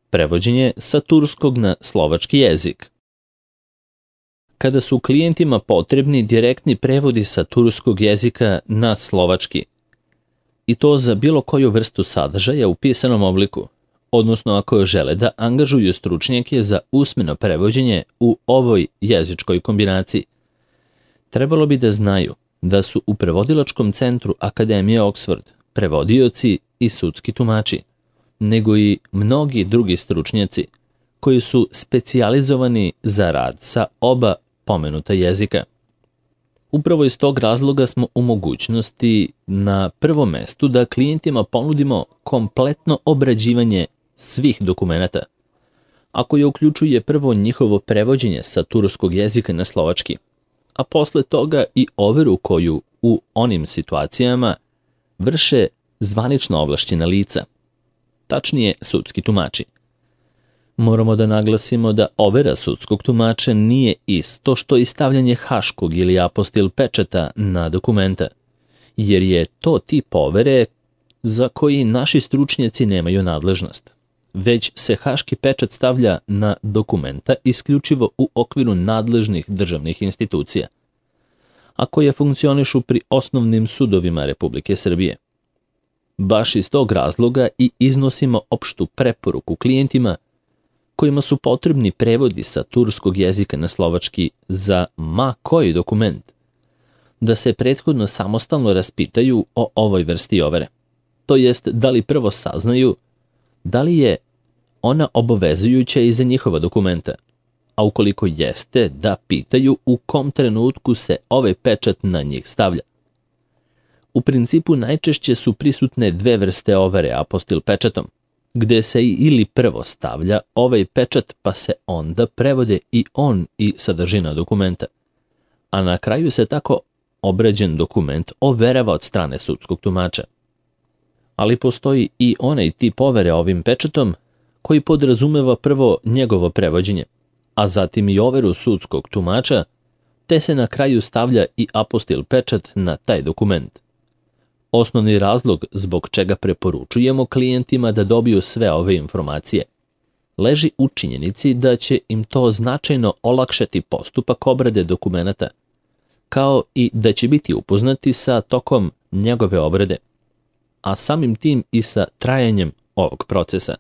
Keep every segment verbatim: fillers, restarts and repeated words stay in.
Prevođenje sa turskog na slovački jezik. Kada su klijentima potrebni direktni prevodi sa turskog jezika na slovački, i to za bilo koju vrstu sadržaja u pisanom obliku, odnosno ako žele da angažuju stručnjake za usmeno prevođenje u ovoj jezičkoj kombinaciji, trebalo bi da znaju da su u prevodilačkom centru Akademije Oxford prevodioci i sudski tumači, nego i mnogi drugi stručnjaci koji su specijalizovani za rad sa oba pomenuta jezika. Upravo iz tog razloga smo u mogućnosti na prvom mestu da klijentima ponudimo kompletno obrađivanje svih dokumenata, a koje uključuje prvo njihovo prevođenje sa turskog jezika na slovački, a posle toga i overu koju u onim situacijama vrše zvanično ovlašćena lica, tačnije sudski tumači. Moramo da naglasimo da overa sudskog tumača nije isto što i stavljanje haškog ili apostil pečata na dokumenta, jer je to tip overe za koji naši stručnjaci nemaju nadležnost, već se haški pečat stavlja na dokumenta isključivo u okviru nadležnih državnih institucija, a koje funkcionišu pri osnovnim sudovima Republike Srbije. Baš iz tog razloga i iznosimo opštu preporuku klijentima kojima su potrebni prevodi sa turskog jezika na slovački za ma koji dokument, da se prethodno samostalno raspitaju o ovoj vrsti overe. To jest da li prvo saznaju da li je ona obavezujuća i za njihova dokumenta, a ukoliko jeste, da pitaju u kom trenutku se ovaj pečat na njih stavlja. U principu najčešće su prisutne dve vrste overe apostil pečatom, gde se ili prvo stavlja ovaj pečat pa se onda prevode i on i sadržina dokumenta, a na kraju se tako obrađen dokument overava od strane sudskog tumača. Ali postoji i onaj tip overe ovim pečatom koji podrazumeva prvo njegovo prevođenje, a zatim i overu sudskog tumača, te se na kraju stavlja i apostil pečat na taj dokument. Osnovni razlog zbog čega preporučujemo klijentima da dobiju sve ove informacije leži u činjenici da će im to značajno olakšati postupak obrade dokumenata, kao i da će biti upoznati sa tokom njegove obrade, a samim tim i sa trajanjem ovog procesa.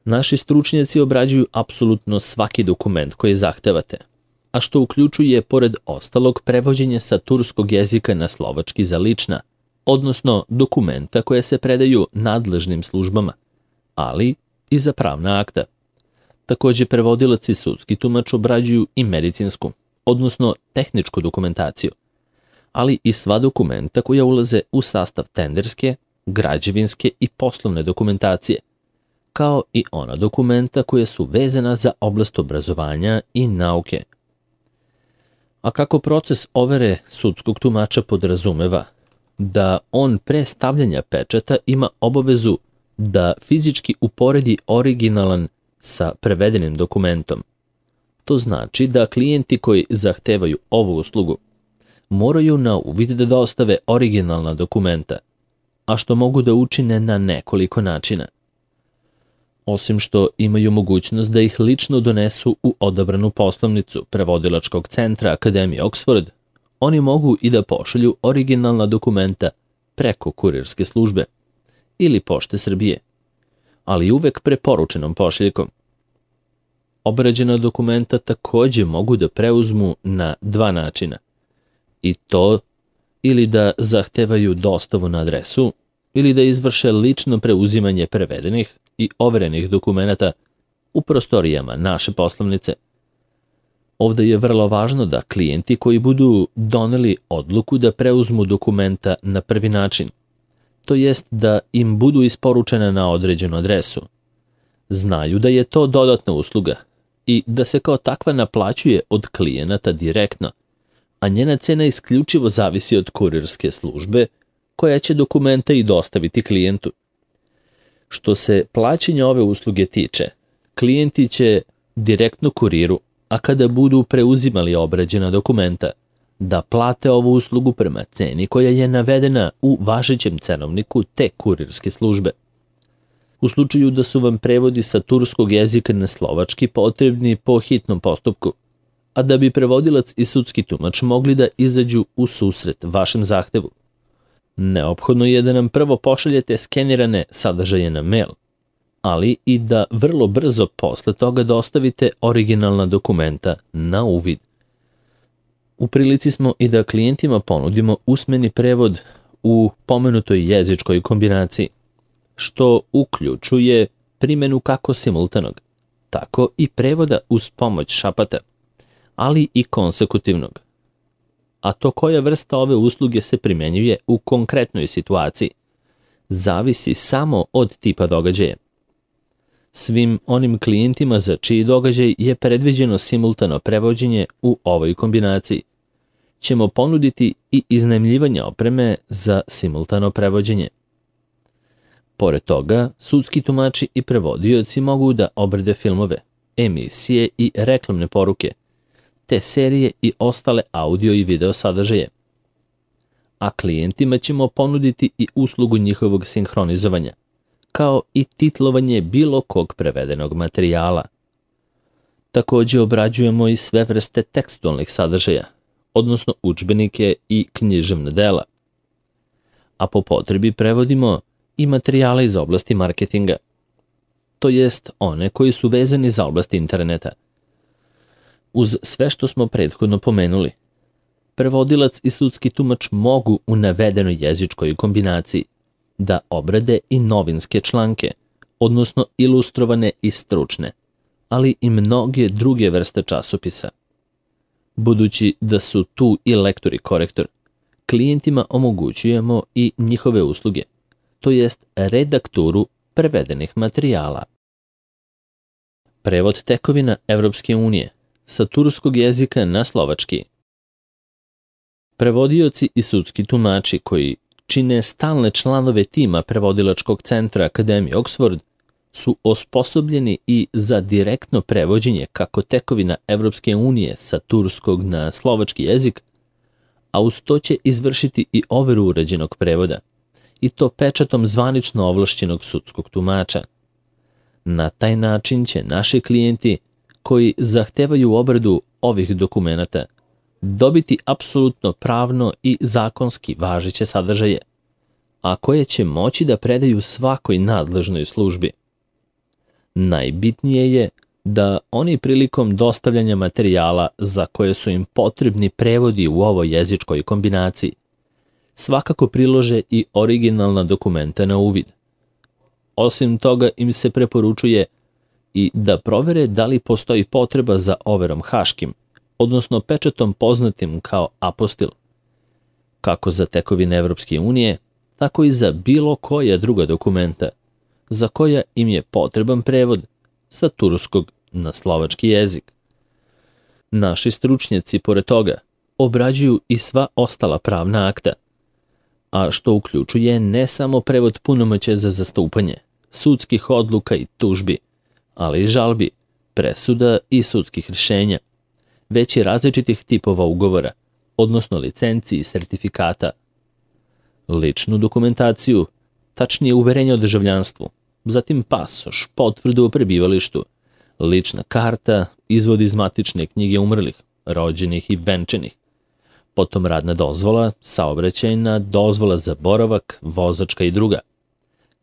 Naši stručnjaci obrađuju apsolutno svaki dokument koji zahtevate, a što uključuje, pored ostalog, prevođenje sa turskog jezika na slovački za lična, odnosno dokumenta koje se predaju nadležnim službama, ali i za pravna akta. Takođe, prevodilac i sudski tumač obrađuju i medicinsku, odnosno tehničku dokumentaciju, ali i sva dokumenta koja ulaze u sastav tenderske, građevinske i poslovne dokumentacije, kao i ona dokumenta koja su vezana za oblast obrazovanja i nauke. A kako proces overe sudskog tumača podrazumeva da on pre stavljanja pečata ima obavezu da fizički uporedi originalan sa prevedenim dokumentom. To znači da klijenti koji zahtevaju ovu uslugu moraju na uvid da dostave originalna dokumenta, a što mogu da učine na nekoliko načina. Osim što imaju mogućnost da ih lično donesu u odabranu poslovnicu prevodilačkog centra Akademije Oxford, oni mogu i da pošalju originalna dokumenta preko kurirske službe ili Pošte Srbije, ali uvek preporučenom pošiljkom. Obrađena dokumenta takođe mogu da preuzmu na dva načina, i to ili da zahtevaju dostavu na adresu ili da izvrše lično preuzimanje prevedenih i overenih dokumenata u prostorijama naše poslovnice. Ovde je vrlo važno da klijenti koji budu doneli odluku da preuzmu dokumenta na prvi način, to jest da im budu isporučene na određenu adresu, znaju da je to dodatna usluga i da se kao takva naplaćuje od klijenata direktno, a njena cena isključivo zavisi od kurirske službe koja će dokumenta i dostaviti klijentu. Što se plaćanja ove usluge tiče, klijenti će direktno kuriru, a kada budu preuzimali obrađena dokumenta, da plate ovu uslugu prema ceni koja je navedena u važećem cenovniku te kurirske službe. U slučaju da su vam prevodi sa turskog jezika na slovački potrebni po hitnom postupku, a da bi prevodilac i sudski tumač mogli da izađu u susret vašem zahtevu, neophodno je da nam prvo pošaljete skenirane sadržaje na mail, ali i da vrlo brzo posle toga dostavite originalna dokumenta na uvid. U prilici smo i da klijentima ponudimo usmeni prevod u pomenutoj jezičkoj kombinaciji, što uključuje primjenu kako simultanog, tako i prevoda uz pomoć šapata, ali i konsekutivnog. A to koja vrsta ove usluge se primjenjuje u konkretnoj situaciji, zavisi samo od tipa događaja. Svim onim klijentima za čiji događaj je predviđeno simultano prevođenje u ovoj kombinaciji, ćemo ponuditi i iznajmljivanje opreme za simultano prevođenje. Pored toga, sudski tumači i prevodioci mogu da obrade filmove, emisije i reklamne poruke, te serije i ostale audio i video sadržaje. A klijentima ćemo ponuditi i uslugu njihovog sinhronizovanja, kao i titlovanje bilo kog prevedenog materijala. Takođe obrađujemo i sve vrste tekstualnih sadržaja, odnosno udžbenike i književna dela. A po potrebi prevodimo i materijale iz oblasti marketinga, to jest one koji su vezani za oblast interneta. Uz sve što smo prethodno pomenuli, prevodilac i sudski tumač mogu u navedenoj jezičkoj kombinaciji da obrade i novinske članke, odnosno ilustrovane i stručne, ali i mnoge druge vrste časopisa. Budući da su tu i lektor i korektor, klijentima omogućujemo i njihove usluge, to jest redakturu prevedenih materijala. Prevod tekovina Evropske unije sa turskog jezika na slovački. Prevodioci i sudski tumači koji čine stalne članove tima prevodilačkog centra Akademije Oxford su osposobljeni i za direktno prevođenje kako tekovina Evropske unije sa turskog na slovački jezik, a uz to će izvršiti i overu urađenog prevoda, i to pečatom zvanično ovlašćenog sudskog tumača. Na taj način će naši klijenti koji zahtevaju obradu ovih dokumenata dobiti apsolutno pravno i zakonski važeće sadržaje, a koje će moći da predaju svakoj nadležnoj službi. Najbitnije je da oni prilikom dostavljanja materijala za koje su im potrebni prevodi u ovoj jezičkoj kombinaciji svakako prilože i originalna dokumenta na uvid. Osim toga im se preporučuje i da provere da li postoji potreba za overom haškim, odnosno pečatom poznatim kao apostil, kako za tekovine Evropske unije, tako i za bilo koja druga dokumenta, za koja im je potreban prevod sa turskog na slovački jezik. Naši stručnjaci, pored toga, obrađuju i sva ostala pravna akta, a što uključuje ne samo prevod punomoćja za zastupanje, sudskih odluka i tužbi, ali i žalbi, presuda i sudskih rješenja, već i različitih tipova ugovora, odnosno licenci i sertifikata, ličnu dokumentaciju, tačnije uverenje o državljanstvu, zatim pasoš, potvrdu o prebivalištu, lična karta, izvod iz matične knjige umrlih, rođenih i venčanih, potom radna dozvola, saobraćajna dozvola za boravak, vozačka i druga,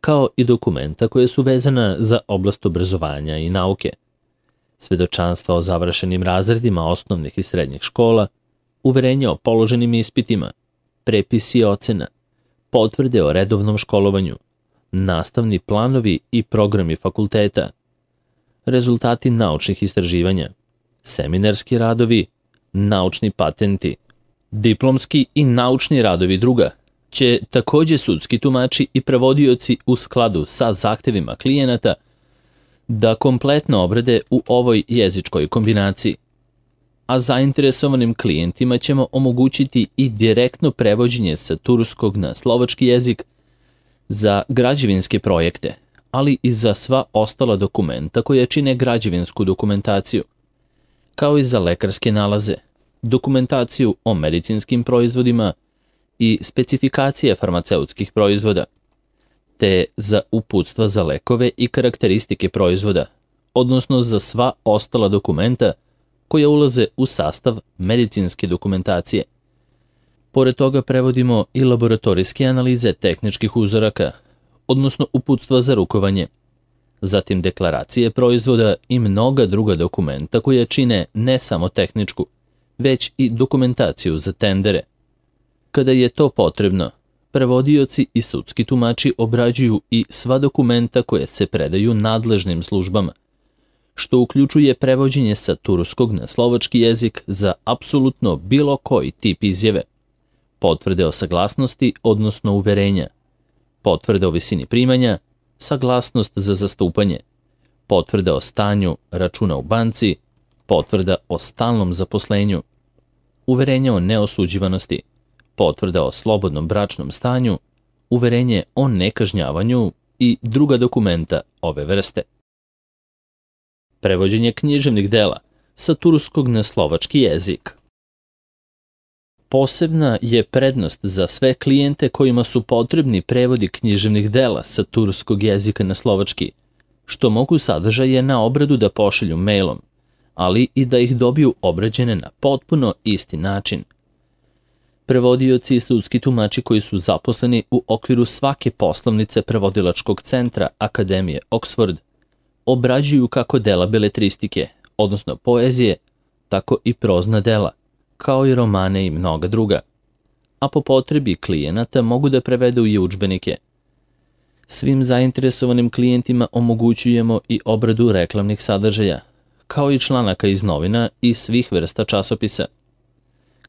kao i dokumenta koje su vezana za oblast obrazovanja i nauke, svedočanstva o završenim razredima osnovnih i srednjih škola, uverenja o položenim ispitima, prepisi ocena, potvrde o redovnom školovanju, nastavni planovi i programi fakulteta, rezultati naučnih istraživanja, seminarski radovi, naučni patenti, diplomski i naučni radovi druga, će takođe sudski tumači i prevodioci u skladu sa zahtevima klijenata da kompletno obrade u ovoj jezičkoj kombinaciji, a zainteresovanim klijentima ćemo omogućiti i direktno prevođenje sa turskog na slovački jezik za građevinske projekte, ali i za sva ostala dokumenta koja čine građevinsku dokumentaciju, kao i za lekarske nalaze, dokumentaciju o medicinskim proizvodima i specifikacije farmaceutskih proizvoda, te za uputstva za lekove i karakteristike proizvoda, odnosno za sva ostala dokumenta koja ulaze u sastav medicinske dokumentacije. Pored toga prevodimo i laboratorijske analize tehničkih uzoraka, odnosno uputstva za rukovanje, zatim deklaracije proizvoda i mnoga druga dokumenta koja čine ne samo tehničku, već i dokumentaciju za tendere. Kada je to potrebno, prevodioci i sudski tumači obrađuju i sva dokumenta koje se predaju nadležnim službama, što uključuje prevođenje sa turskog na slovački jezik za apsolutno bilo koji tip izjave, potvrde o saglasnosti, odnosno uverenja, potvrde o visini primanja, saglasnost za zastupanje, potvrda o stanju računa u banci, potvrda o stalnom zaposlenju, uverenje o neosuđivanosti, potvrda o slobodnom bračnom stanju, uverenje o nekažnjavanju i druga dokumenta ove vrste. Prevođenje književnih dela sa turskog na slovački jezik. Posebna je prednost za sve klijente kojima su potrebni prevodi književnih dela sa turskog jezika na slovački, što mogu sadržaje na obradu da pošalju mailom, ali i da ih dobiju obrađene na potpuno isti način. Prevodioci i sudski tumači koji su zaposleni u okviru svake poslovnice prevodilačkog centra Akademije Oxford obrađuju kako dela beletristike, odnosno poezije, tako i prozna dela, kao i romane i mnoga druga, a po potrebi klijenata mogu da prevedu i udžbenike. Svim zainteresovanim klijentima omogućujemo i obradu reklamnih sadržaja, kao i članaka iz novina i svih vrsta časopisa.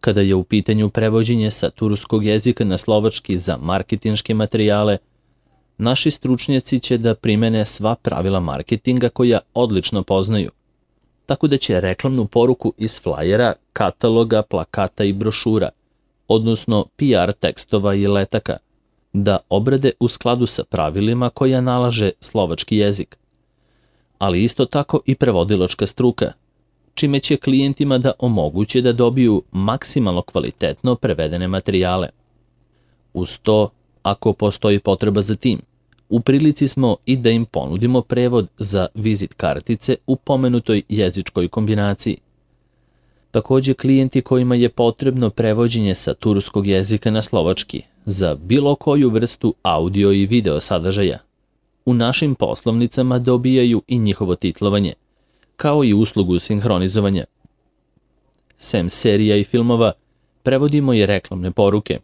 Kada je u pitanju prevođenje sa turskog jezika na slovački za marketinške materijale, naši stručnjaci će da primene sva pravila marketinga koja odlično poznaju, tako da će reklamnu poruku iz flajera, kataloga, plakata i brošura, odnosno P R tekstova i letaka, da obrade u skladu sa pravilima koja nalaže slovački jezik, ali isto tako i prevodilačka struka, čime će klijentima da omoguće da dobiju maksimalno kvalitetno prevedene materijale. Uz to, ako postoji potreba za tim, u prilici smo i da im ponudimo prevod za vizit kartice u pomenutoj jezičkoj kombinaciji. Takođe, klijenti kojima je potrebno prevođenje sa turskog jezika na slovački za bilo koju vrstu audio i video sadržaja, u našim poslovnicama dobijaju i njihovo titlovanje, kao i uslugu sinhronizovanja. Sem serija i filmova, prevodimo i reklamne poruke,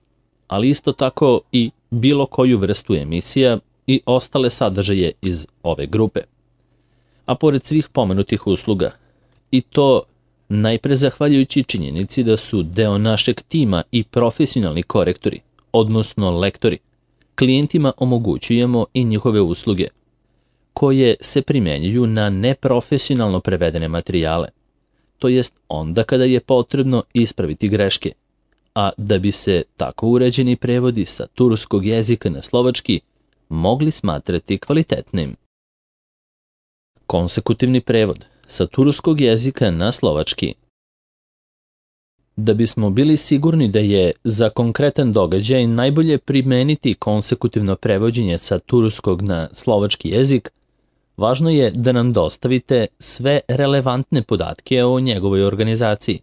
ali isto tako i bilo koju vrstu emisija i ostale sadržaje iz ove grupe. A pored svih pomenutih usluga, i to najpre zahvaljujući činjenici da su deo našeg tima i profesionalni korektori, odnosno lektori, klijentima omogućujemo i njihove usluge, koje se primenjuju na neprofesionalno prevedene materijale, to jest onda kada je potrebno ispraviti greške, a da bi se tako uređeni prevodi sa turskog jezika na slovački mogli smatrati kvalitetnim. Konsekutivni prevod sa turskog jezika na slovački. Da bismo bili sigurni da je za konkretan događaj najbolje primeniti konsekutivno prevođenje sa turskog na slovački jezik, važno je da nam dostavite sve relevantne podatke o njegovoj organizaciji,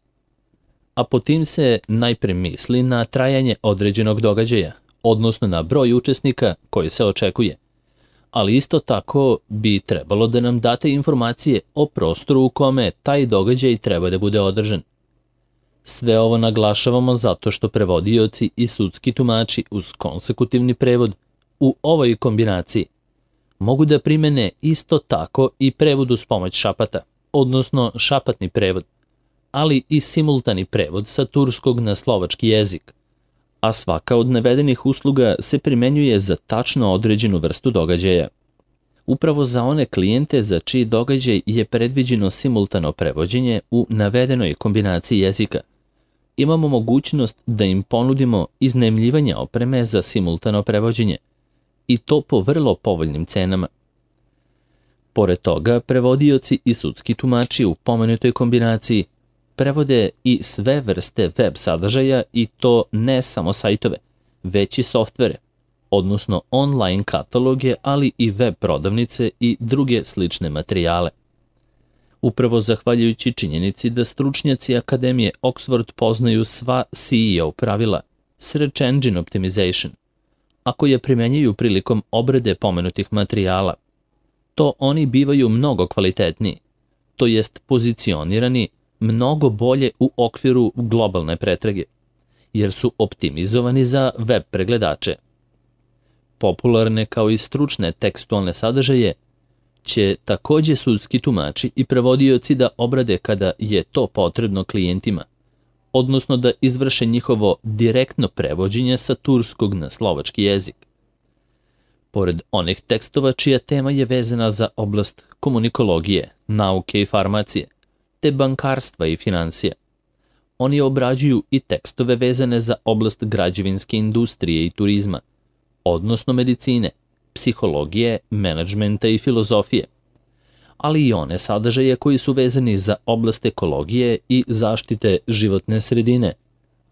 a po tim se najpre misli na trajanje određenog događaja, odnosno na broj učesnika koji se očekuje, ali isto tako bi trebalo da nam date informacije o prostoru u kome taj događaj treba da bude održan. Sve ovo naglašavamo zato što prevodioci i sudski tumači uz konsekutivni prevod u ovoj kombinaciji mogu da primene isto tako i prevod uz pomoć šapata, odnosno šapatni prevod, ali i simultani prevod sa turskog na slovački jezik, a svaka od navedenih usluga se primenjuje za tačno određenu vrstu događaja. Upravo za one klijente za čiji događaj je predviđeno simultano prevođenje u navedenoj kombinaciji jezika, imamo mogućnost da im ponudimo iznajmljivanje opreme za simultano prevođenje, i to po vrlo povoljnim cenama. Pored toga, prevodioci i sudski tumači u pomenutoj kombinaciji prevode i sve vrste web sadržaja, i to ne samo sajtove, već i softvere, odnosno online kataloge, ali i web prodavnice i druge slične materijale. Upravo zahvaljujući činjenici da stručnjaci Akademije Oxford poznaju sva S E O pravila, Search Engine Optimization, ako je primenjuju prilikom obrade pomenutih materijala, to oni bivaju mnogo kvalitetniji, to jest pozicionirani mnogo bolje u okviru globalne pretrage, jer su optimizovani za web pregledače. Popularne kao i stručne tekstualne sadržaje će takođe sudski tumači i prevodioci da obrade kada je to potrebno klijentima, odnosno da izvrše njihovo direktno prevođenje sa turskog na slovački jezik. Pored onih tekstova čija tema je vezana za oblast komunikologije, nauke i farmacije, te bankarstva i financija, oni obrađuju i tekstove vezane za oblast građevinske industrije i turizma, odnosno medicine, psihologije, menadžmenta i filozofije, ali i one sadržaje koji su vezani za oblast ekologije i zaštite životne sredine,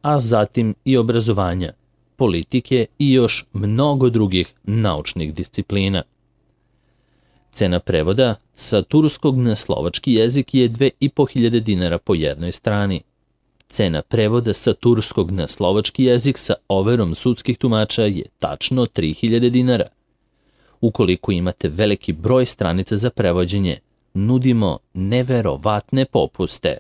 a zatim i obrazovanja, politike i još mnogo drugih naučnih disciplina. Cena prevoda sa turskog na slovački jezik je dve i po hiljade dinara po jednoj strani. Cena prevoda sa turskog na slovački jezik sa overom sudskih tumača je tačno tri hiljade dinara. Ukoliko imate veliki broj stranica za prevođenje, nudimo neverovatne popuste.